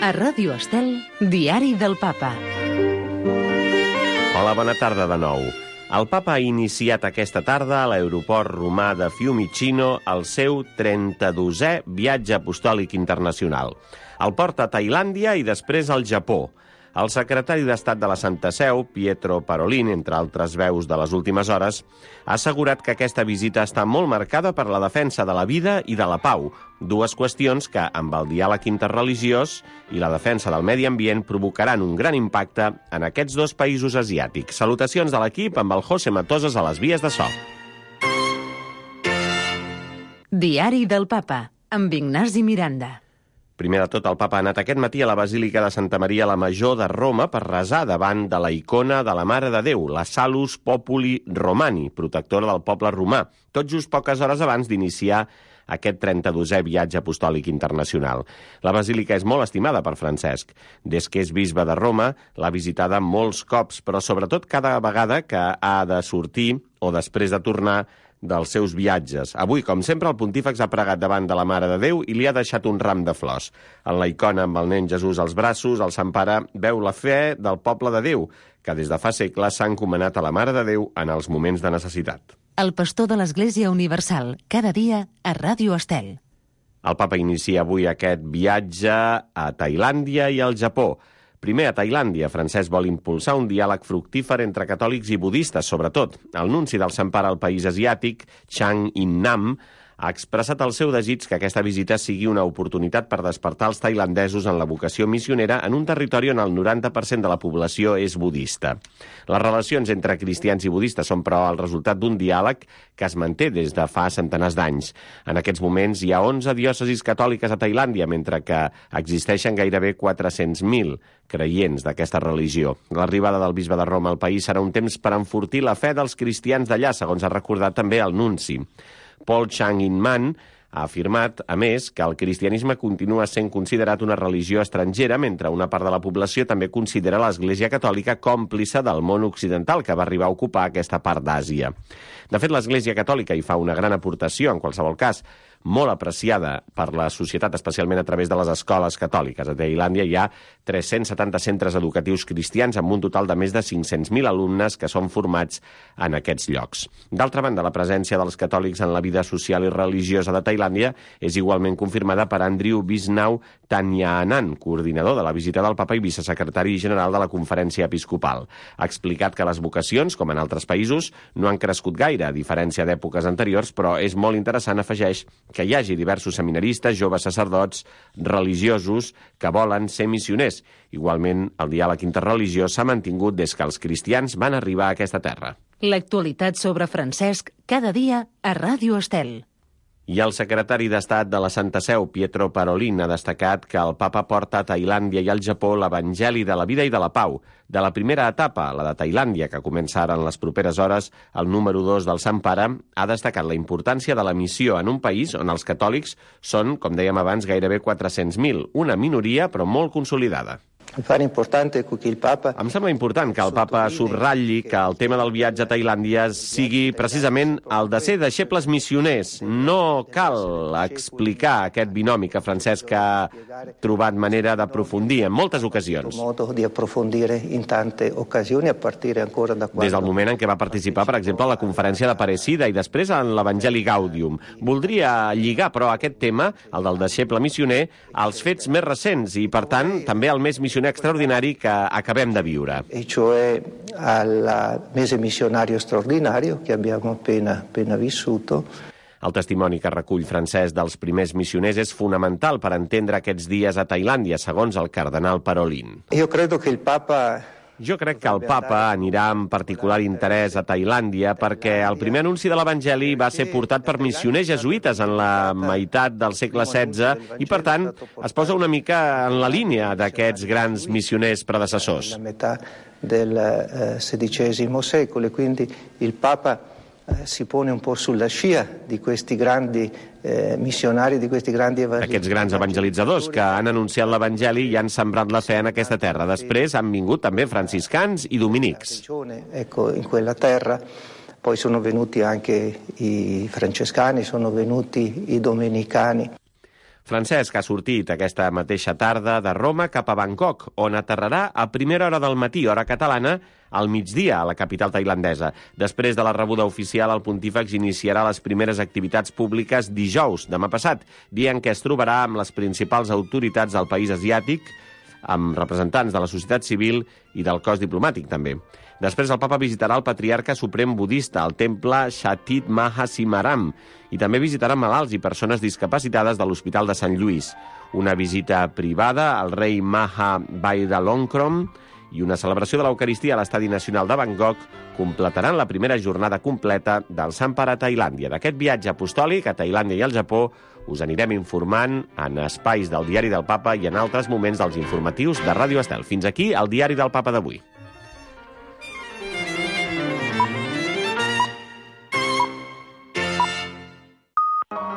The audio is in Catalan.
A Ràdio Estel, Diari del Papa. Hola, bona tarda de nou. El Papa ha iniciat aquesta tarda a l'aeroport romà de Fiumicino el seu 32è viatge apostòlic internacional. El porta a Tailàndia i després al Japó. El secretari d'Estat de la Santa Seu, Pietro Parolin, entre altres veus de les últimes hores, ha assegurat que aquesta visita està molt marcada per la defensa de la vida i de la pau, dues qüestions que, amb el diàleg interreligiós i la defensa del medi ambient, provocaran un gran impacte en aquests dos països asiàtics. Salutacions de l'equip amb el José Matosas a les vies de so. Diari del Papa, amb Ignasi Miranda. Primer de tot, el Papa ha anat aquest matí a la Basílica de Santa Maria la Major de Roma per resar davant de la icona de la Mare de Déu, la Salus Populi Romani, protectora del poble romà, tot just poques hores abans d'iniciar aquest 32è viatge apostòlic internacional. La basílica és molt estimada per Francesc. Des que és bisbe de Roma, l'ha visitada molts cops, però sobretot cada vegada que ha de sortir o després de tornar dels seus viatges. Avui, com sempre, el pontífex ha pregat davant de la Mare de Déu i li ha deixat un ram de flors. En la icona amb el nen Jesús als braços, el Sant Pare veu la fe del poble de Déu, que des de fa segles s'ha encomanat a la Mare de Déu en els moments de necessitat. El pastor de l'Església Universal, cada dia a Ràdio Estel. El Papa inicia avui aquest viatge a Tailàndia i al Japó. Primer, a Tailàndia, Francesc vol impulsar un diàleg fructífer entre catòlics i budistes, sobretot. El nunci del Sant Pare al país asiàtic, Chang In-nam, ha expressat el seu desig que aquesta visita sigui una oportunitat per despertar els tailandesos en la vocació missionera en un territori on el 90% de la població és budista. Les relacions entre cristians i budistes són, però, el resultat d'un diàleg que es manté des de fa centenars d'anys. En aquests moments hi ha 11 diòcesis catòliques a Tailàndia, mentre que existeixen gairebé 400.000 creients d'aquesta religió. L'arribada del bisbe de Roma al país serà un temps per enfortir la fe dels cristians d'allà, segons ha recordat també el nunci. Paul Chang In-man ha afirmat, a més, que el cristianisme continua sent considerat una religió estrangera, mentre una part de la població també considera l'Església Catòlica còmplice del món occidental, que va arribar a ocupar aquesta part d'Àsia. De fet, l'Església Catòlica hi fa una gran aportació, en qualsevol cas, molt apreciada per la societat, especialment a través de les escoles catòliques. A Tailàndia hi ha 370 centres educatius cristians amb un total de més de 500.000 alumnes que són formats en aquests llocs. D'altra banda, la presència dels catòlics en la vida social i religiosa de Tailàndia és igualment confirmada per Andrew Bisnau Tanyanan, coordinador de la visita del Papa i vicesecretari general de la Conferència Episcopal. Ha explicat que les vocacions, com en altres països, no han crescut gaire, a diferència d'èpoques anteriors, però és molt interessant, afegeix, que hi hagi diversos seminaristes, joves sacerdots, religiosos, que volen ser missioners. Igualment, el diàleg interreligiós s'ha mantingut des que els cristians van arribar a aquesta terra. L'actualitat sobre Francesc, cada dia a Ràdio Estel. I el secretari d'Estat de la Santa Seu, Pietro Parolin, ha destacat que el Papa porta a Tailàndia i al Japó l'Evangeli de la vida i de la pau. De la primera etapa, la de Tailàndia, que comença ara en les properes hores, el número 2 del Sant Pare ha destacat la importància de la missió en un país on els catòlics són, com dèiem abans, gairebé 400.000, una minoria però molt consolidada. Em sembla important que el Papa subratlli que el tema del viatge a Tailàndia sigui precisament el de ser deixebles missioners. No cal explicar aquest binomi que Francesc ha trobat manera d'aprofundir en moltes ocasions. Des del moment en què va participar, per exemple, a la conferència de Aparecida i després en l'Evangeli Gaudium. Voldria lligar, però, aquest tema, el del deixeble missioner, als fets més recents i, per tant, també al més missioner extraordinari que acabem de viure. E cioè al mese missionario straordinario che abbiamo appena vissuto. El testimoni que recull Francesc dels primers missioners és fonamental per entendre aquests dies a Tailàndia, segons el cardenal Parolin. Jo crec que el Papa anirà amb particular interès a Tailàndia perquè el primer anunci de l'Evangeli va ser portat per missioners jesuïtes en la meitat del segle XVI i, per tant, es posa una mica en la línia d'aquests grans missioners predecessors. La meitat del XVI secolo e quindi il Papa si pone un po' sulla scia di questi grandi missionari, di questi grandi evangelizzadors. Aquests grans evangelitzadors que han anunciat l'Evangeli i han sembrat la fe en aquesta terra. Després han vingut també franciscans i dominics. Ecco, in quella terra poi sono venuti anche i francescani, sono venuti i domenicani. Francesc ha sortit aquesta mateixa tarda de Roma cap a Bangkok, on aterrarà a primera hora del matí, hora catalana, al migdia, a la capital tailandesa. Després de la rebuda oficial, el pontífex iniciarà les primeres activitats públiques dijous, demà passat, dia en què es trobarà amb les principals autoritats del país asiàtic, amb representants de la societat civil i del cos diplomàtic, també. Després el papa visitarà el patriarca suprem budista al temple Shatit Maha Simaram i també visitarà malalts i persones discapacitades de l'Hospital de Sant Lluís. Una visita privada al rei Maha Vajiralongkorn i una celebració de l'Eucaristia a l'Estadi Nacional de Bangkok completaran la primera jornada completa del Sant Pare a Tailàndia. D'aquest viatge apostòlic a Tailàndia i al Japó us anirem informant en espais del Diari del Papa i en altres moments dels informatius de Ràdio Estel. Fins aquí el Diari del Papa d'avui.